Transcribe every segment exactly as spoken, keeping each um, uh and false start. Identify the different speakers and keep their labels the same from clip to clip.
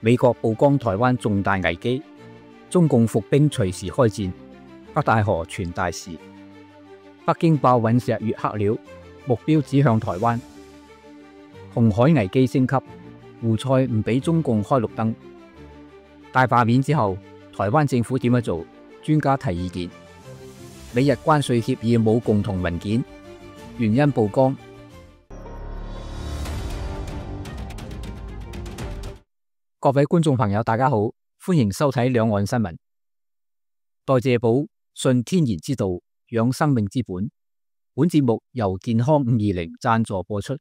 Speaker 1: 美國曝光台灣重大危機，中共伏兵隨時開戰，北戴河傳大事。北京爆隕石月黑了，目標指向台灣。紅海危機升級，胡塞唔俾中共開綠燈。大罷免之後，台灣政府點樣做？專家提意見。美日關稅協議冇共同文件，原因曝光。各位觀眾朋友，大家好，歡迎收睇兩岸新聞。代謝寶，信天然之道，養生命之本。本節目由健康五二零贊助播出。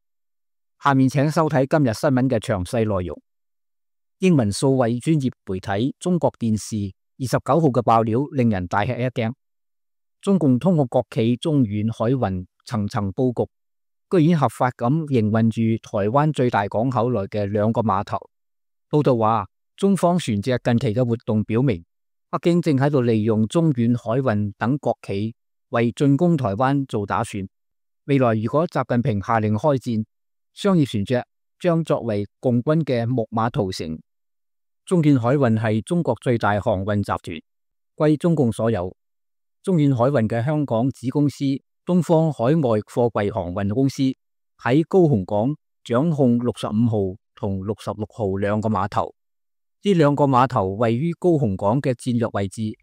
Speaker 1: 下面請收睇今日新聞嘅詳細內容。英文數位專業媒體中國電視二十九號嘅爆料令人大吃一驚。中共通過國企中遠海運層層佈局，居然合法咁營運住台灣最大港口內嘅兩個碼頭。報道話，中方船隻近期嘅活動表明，北京正喺度利用中遠海運等國企為進攻台灣做打算。未來如果習近平下令開戰，商業船隻將作為共軍嘅木馬屠城。中遠海運係中國最大航運集團，歸中共所有。中遠海運嘅香港子公司東方海外貨櫃航運公司喺高雄港掌控六十五號同六十六號兩個碼頭。呢兩個碼頭位於高雄港嘅戰略位置，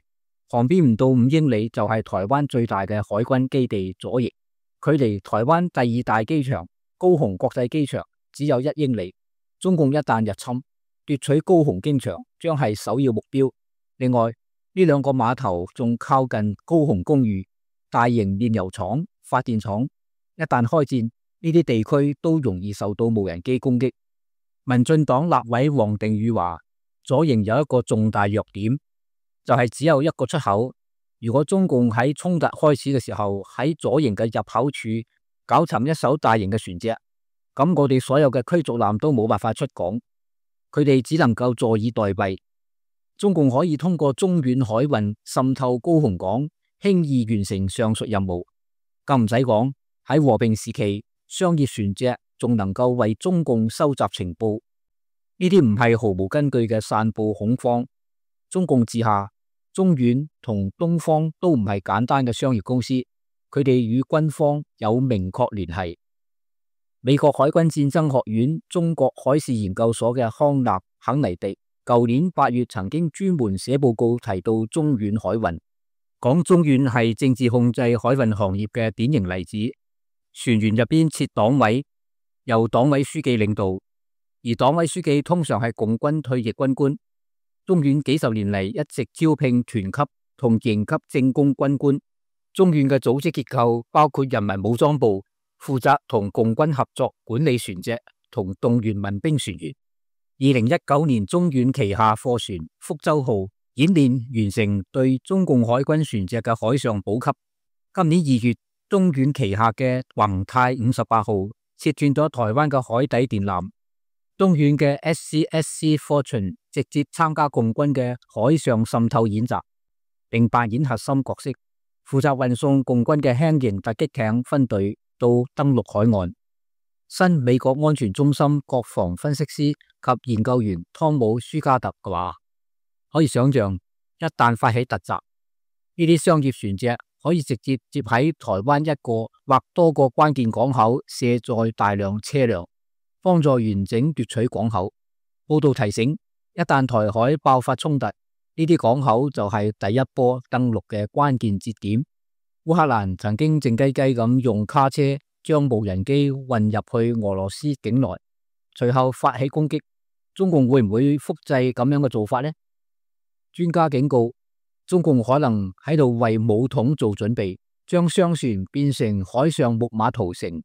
Speaker 1: 旁邊唔到五英里就係台灣最大嘅海軍基地左翼，距離台灣第二大機場高雄國際機場只有一英里。中共一旦入侵，奪取高雄機場將係首要目標。另外，呢兩個碼頭仲靠近高雄公寓、大型煉油廠、發電廠，一旦開戰，呢啲地區都容易受到無人機攻擊。民進黨立委王定宇話，左營有一個重大弱點，就係只有一個出口。如果中共喺衝突開始嘅時候喺左營嘅入口處搞沉一艘大型嘅船隻，咁我哋所有嘅驅逐艦都冇辦法出港，佢哋只能夠坐以待斃。中共可以通過中遠海運滲透高雄港，輕易完成上述任務。更唔使講，喺和平時期，商業船隻仲能夠為中共收集情報。呢啲唔係毫無根據嘅散布恐慌。中共治下，中遠同東方都唔係簡單嘅商業公司，佢哋與軍方有明確聯繫。美國海軍戰爭學院中國海事研究所嘅康納肯尼迪舊年八月曾經專門寫報告提到中遠海運，講中遠係政治控制海運行業嘅典型例子。船員入邊設黨委，由黨委書記領導，而黨委書記通常係共軍退役軍官。中遠幾十年嚟一直招聘團級同營級政工軍官。中遠嘅組織結構包括人民武裝部，負責同共軍合作管理船隻同動員民兵船員。二零一九年，中遠旗下貨船福州號演練完成對中共海軍船隻嘅海上補給。今年二月，中遠旗下嘅宏泰五十八號切斷咗台灣嘅海底電纜。中遠嘅 S C S C Fortune 直接參加共軍嘅海上滲透演習，並扮演核心角色，負責運送共軍嘅輕型突擊艇分隊到登陸海岸。新美國安全中心國防分析師及研究員湯姆舒加特話，可以想象，一旦發起突襲，呢啲商業船隻可以直接接喺台灣一個或多個關鍵港口卸載大量車輛，幫助完整奪取港口。報道提醒，一旦台海爆發衝突，呢啲港口就係第一波登陸嘅關鍵節點。烏克蘭曾經靜雞雞咁用卡車將無人機運入去俄羅斯境內，隨後發起攻擊。中共會唔會複製咁樣嘅做法呢？專家警告，中共可能喺度為武統做準備，將商船變成海上木馬屠城。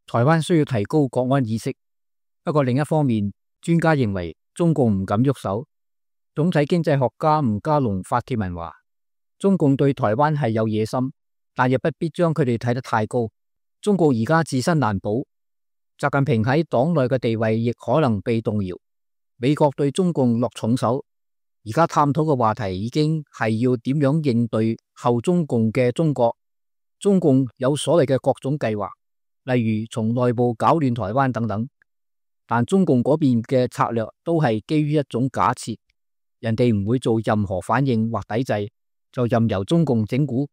Speaker 1: 台灣需要提高國安意識。不過另一方面，專家認為中共唔敢喐手。總體經濟學家吳家龍發帖文話，中共對台灣係有野心，但亦不必將佢哋睇得太高。中共而家自身難保，習近平喺黨內嘅地位亦可能被動搖。美國對中共落重手，而家探討嘅話題已經係要點樣應對後中共嘅中國。中共有所謂嘅各種計劃，例如從內部搞亂台灣等等。但中共嗰邊嘅策略都係基於一種假設，人哋唔會做任何反應或抵制，就任由中共整蠱。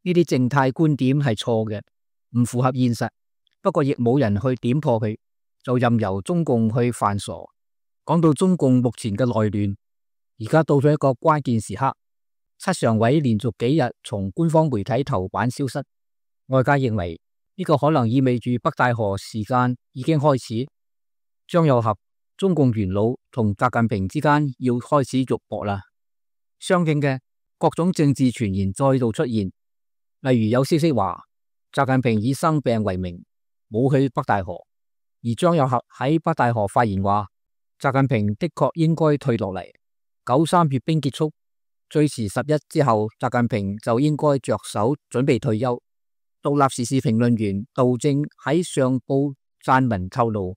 Speaker 1: 呢啲靜態觀點係錯嘅，唔符合現實。不過亦冇人去點破佢，就任由中共去犯傻。講到中共目前嘅內亂，而家到咗一個關鍵時刻，七常委連續幾日從官方媒體頭版消失，外界認為呢個可能意味住北戴河時間已經開始，張又俠、中共元老同習近平之間要開始肉搏啦。相應嘅各種政治傳言再度出現，例如有消息話習近平以生病為名冇去北戴河，而張又俠喺北戴河發言話習近平的確應該退落嚟，九三閱兵結束最遲十一之後，習近平就應該着手準備退休。獨立時事評論員杜正喺上報撰文透露，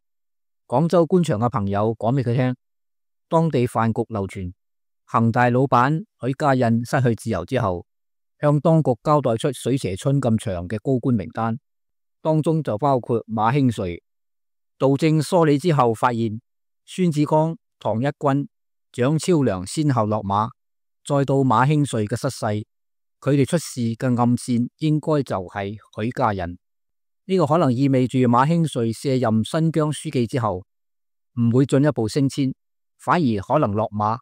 Speaker 1: 廣州官場嘅朋友講俾佢聽，當地飯局流傳恒大老闆許家印失去自由之後，向當局交代出水蛇春咁長嘅高官名單，當中就包括馬興瑞。杜正梳理之後發現，孫志剛、唐一軍、蔣超良先後落馬，再到馬興瑞嘅失勢，佢哋出事嘅暗線應該就係許家印。呢、這個可能意味住馬興瑞卸任新疆書記之後，唔會進一步升遷，反而可能落馬。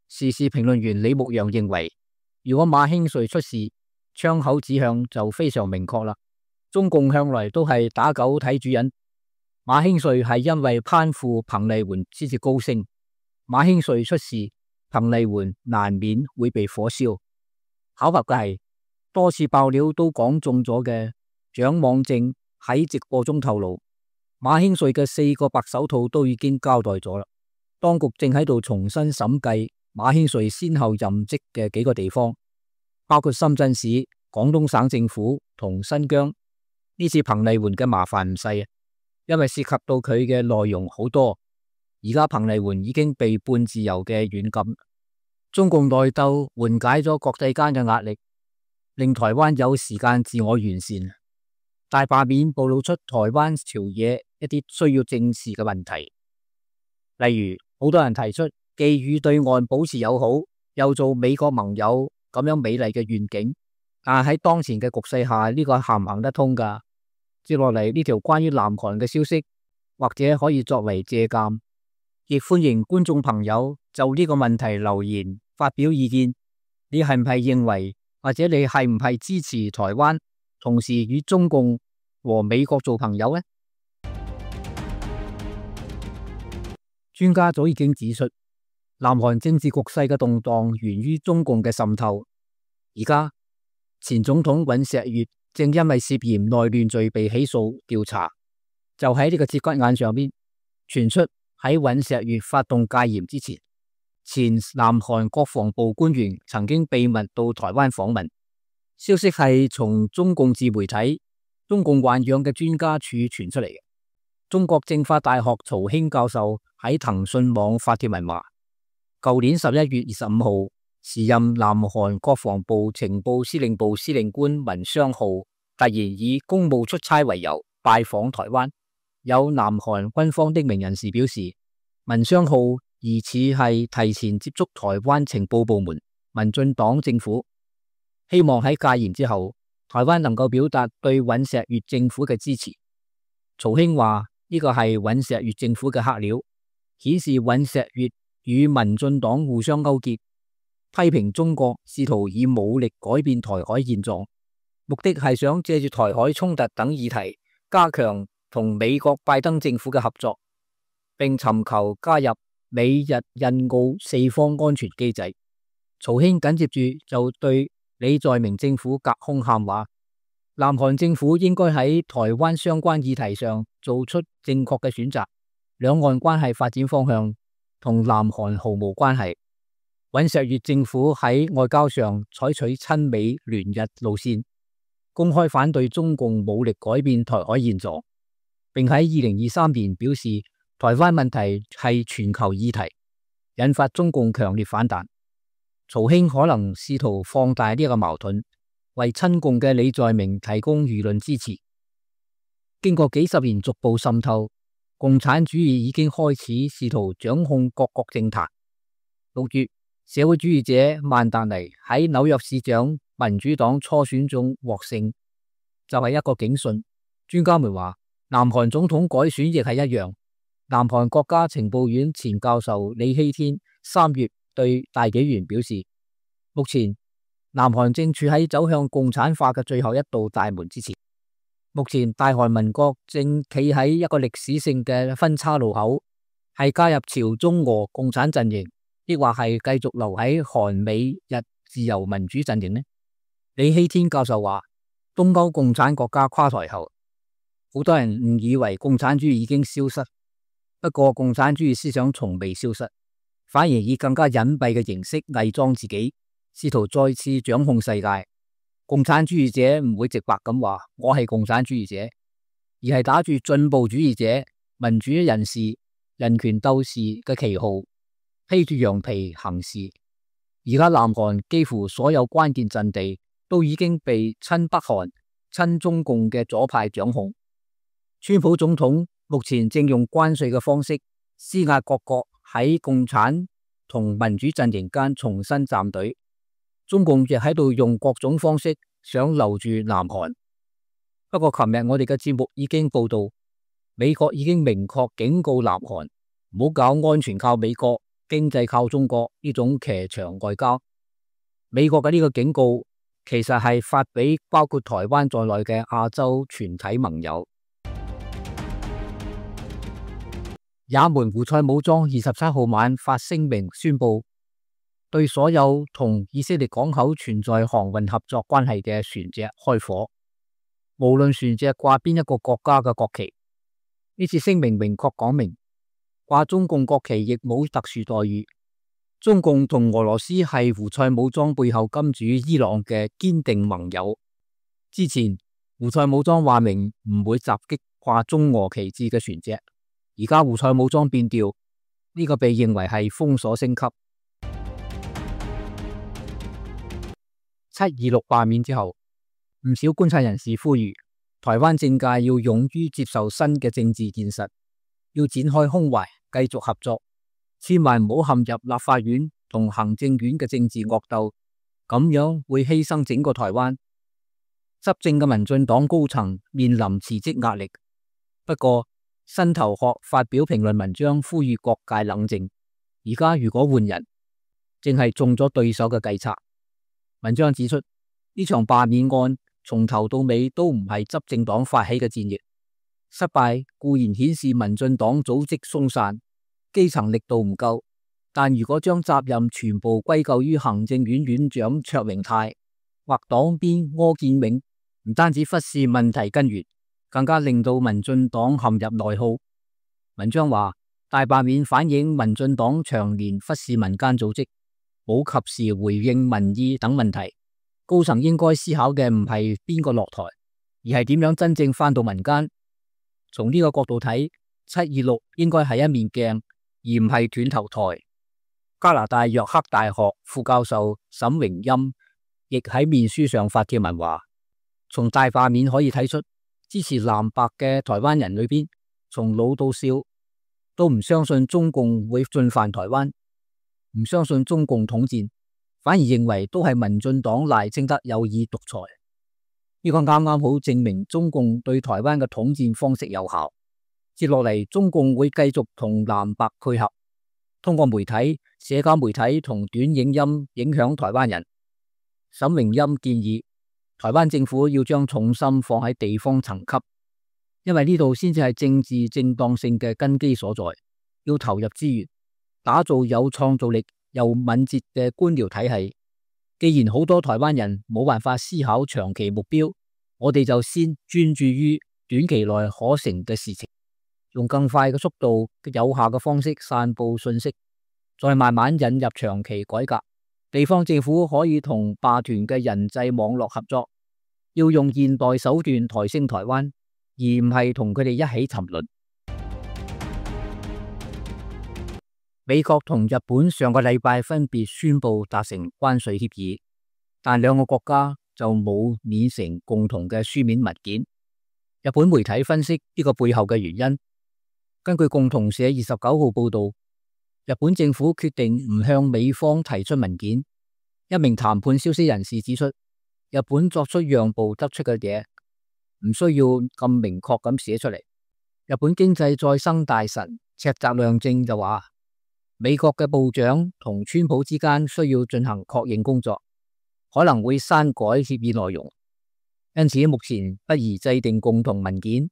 Speaker 1: 時事評論員李牧陽認為，如果馬興瑞出事，槍口指向就非常明確啦。中共向來都係打狗睇主人，馬興瑞係因為攀附彭麗媛先至高升，馬興瑞出事，彭麗媛難免會被火燒。巧合嘅係，多次爆料都講中咗嘅蔣網正喺直播中透露，馬興瑞嘅四個白手套都已經交代咗啦。當局正喺度重新審計馬興瑞先後任職嘅幾個地方，包括深圳市、廣東省政府同新疆。呢次彭麗媛嘅麻煩唔細啊，因為涉及到佢嘅內容好多。而家彭麗媛已經被半自由嘅軟禁。中共內鬥緩解咗國際間嘅壓力，令台灣有時間自我完善。大罷免暴露出台灣朝野一啲需要正視嘅問題，例如好多人提出既與對岸保持友好，又做美國盟友咁樣美麗嘅願景，但係喺當前嘅局勢下，呢個行唔行得通㗎？接落嚟呢條關於南韓嘅消息，或者可以作為借鑒，亦歡迎觀眾朋友就呢個問題留言發表意見。你係唔係認為，或者你係唔係支持台灣同時與中共和美國做朋友呢？專家早已經指出，南韓政治局勢嘅動盪源於中共嘅滲透。而家前總統尹錫悅正因為涉嫌內亂罪被起訴調查，就喺呢個節骨眼上邊傳出喺尹錫悅發動戒嚴之前，前南韓國防部官員曾經秘密到台灣訪問。消息係從中共自媒體中共豢養嘅專家處傳出嚟嘅。中國政法大學曹興教授喺騰訊網發帖文話，舊年十一月二十五號，時任南韓國防部情報司令部司令官文昌浩突然以公務出差為由拜訪台灣。有南韓軍方的名人士表示，文昌浩疑似係提前接觸台灣情報部門、民進黨政府，希望喺戒嚴之後，台灣能夠表達對尹錫悅政府嘅支持。曹興話呢個係尹錫悅政府嘅黑料，顯示尹錫悅與民進黨互相勾結，批評中國試圖以武力改變台海現狀，目的係想借住台海衝突等議題加強同美國拜登政府嘅合作，並尋求加入美日印澳四方安全機制。曹興緊接住就對李在明政府隔空喊話，南韓政府應該喺台灣相關議題上做出正確嘅選擇，兩岸關係發展方向同南韓毫無關係。尹錫悅政府喺外交上採取親美聯日路線，公開反對中共武力改變台海現狀，並喺二零二三年表示台灣問題係全球議題，引發中共強烈反彈。曹興可能試圖放大呢個矛盾，為親共嘅李在明提供輿論支持。經過幾十年逐步滲透，共產主義已經開始試圖掌控各國政壇。六月，社會主義者曼達尼喺紐約市長民主黨初選中獲勝，就係一個警訊。專家們話，南韓總統改選亦係一樣。南韓國家情報院前教授李希天三月對大紀元表示，目前南韓正處喺走向共產化嘅最後一道大門之前。目前大韓民國正企喺一個歷史性嘅分叉路口，係加入朝中俄共產陣營，抑或係繼續留喺韓美日自由民主陣營呢？李希天教授話，東歐共產國家垮台後，好多人誤以為共產主義已經消失。不過，共產主義思想從未消失，反而以更加隱蔽嘅形式偽裝自己，試圖再次掌控世界。共產主義者唔會直白咁話我係共產主義者，而係打住進步主義者、民主人士、人權鬥士嘅旗號，披住羊皮行事。而家南韓幾乎所有關鍵陣地都已經被親北韓、親中共嘅左派掌控。川普總統目前正用關稅嘅方式施壓各國喺共產同民主陣營間重新站隊，中共亦喺度用各種方式想留住南韓。不過琴日我哋嘅節目已經報道，美國已經明確警告南韓唔好搞安全靠美國、經濟靠中國呢種騎牆外交。美國嘅呢個警告其實係發俾包括台灣在內嘅亞洲全體盟友。也門胡塞武裝二十七號晚發聲明宣布，對所有同以色列港口存在航運合作關係嘅船隻開火，無論船隻掛邊一個國家嘅國旗。呢次聲明明確講明，掛中共國旗亦冇特殊待遇。中共同俄羅斯係胡塞武裝背後金主伊朗嘅堅定盟友。之前胡塞武裝話明唔會襲擊掛中俄旗幟嘅船隻。而家胡塞武裝變調，呢個被認為係封鎖升級。七二六罷免之後，唔少觀察人士呼籲台灣政界要勇於接受新嘅政治現實，要展開胸懷，繼續合作，千萬唔好陷入立法院同行政院嘅政治惡鬥，咁樣會犧牲整個台灣。執政嘅民進黨高層面臨辭職壓力，不過新頭殼發表評論文章呼籲各界冷靜。而家如果換人，正係中咗對手嘅計策。文章指出，呢場罷免案從頭到尾都唔係執政黨發起嘅戰役，失敗固然顯示民進黨組織鬆散，基層力度唔夠，但如果將責任全部歸咎於行政院院長卓榮泰或黨鞭柯建銘，唔單止忽視問題根源，更加令到民進黨陷入內耗。文章話，大罷免反映民進黨長年忽視民間組織，冇及時回應民意等問題。高層應該思考嘅唔係邊個落台，而係點樣真正返到民間。從呢個角度睇，七二六應該係一面鏡，而唔係斷頭台。加拿大約克大學副教授沈榮欽亦喺面書上發帖文話，從大罷免可以睇出，支持藍白嘅台灣人裏邊，從老到少都唔相信中共會進犯台灣，唔相信中共統戰，反而認為都係民進黨賴清德有意獨裁。呢個啱啱好證明中共對台灣嘅統戰方式有效。接落嚟，中共會繼續同藍白配合，通過媒體、社交媒體同短影音影響台灣人。沈榮欽建議台灣政府要將重心放喺地方層級，因為呢度先至係政治正當性嘅根基所在。要投入資源，打造有創造力又敏捷嘅官僚體系。既然好多台灣人冇辦法思考長期目標，我哋就先專注於短期內可成嘅事情，用更快嘅速度、有效嘅方式散布信息，再慢慢引入長期改革。地方政府可以同霸權嘅人際網絡合作，要用現代手段抬升台灣，而唔係同佢哋一起沉淪。美國同日本上個禮拜分別宣布達成關稅協議，但兩個國家就冇擬成共同嘅書面文件。日本媒體分析呢個背後嘅原因，根據共同社二十九號報道，日本政府決定唔向美方提出文件。一名談判消息人士指出，日本作出讓步得出嘅嘢唔需要咁明確咁寫出嚟。日本經濟再生大臣赤澤亮正就話，美國嘅部長同川普之間需要進行確認工作，可能會刪改協議內容，因此目前不宜制定共同文件。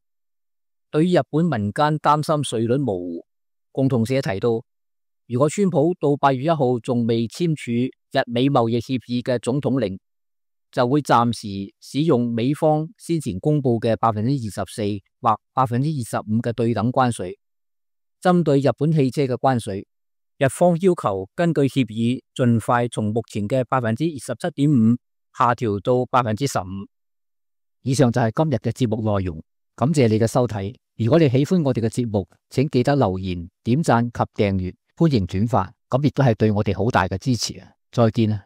Speaker 1: 對於日本民間擔心稅率模糊，共同社提到，如果川普到八月一號仲未簽署日美貿易協議嘅總統令，就會暫時使用美方先前公布嘅百分之二十四或百分之二十五嘅對等關稅。針對日本汽車嘅關稅，日方要求根據協議盡快從目前嘅百分之二十七點五下調到百分之十五。以上就係今日嘅節目內容，感謝你嘅收睇。如果你喜歡我哋嘅節目，請記得留言、點讚及訂閱，歡迎轉發，咁亦都係對我哋好大嘅支持啊！再見啊！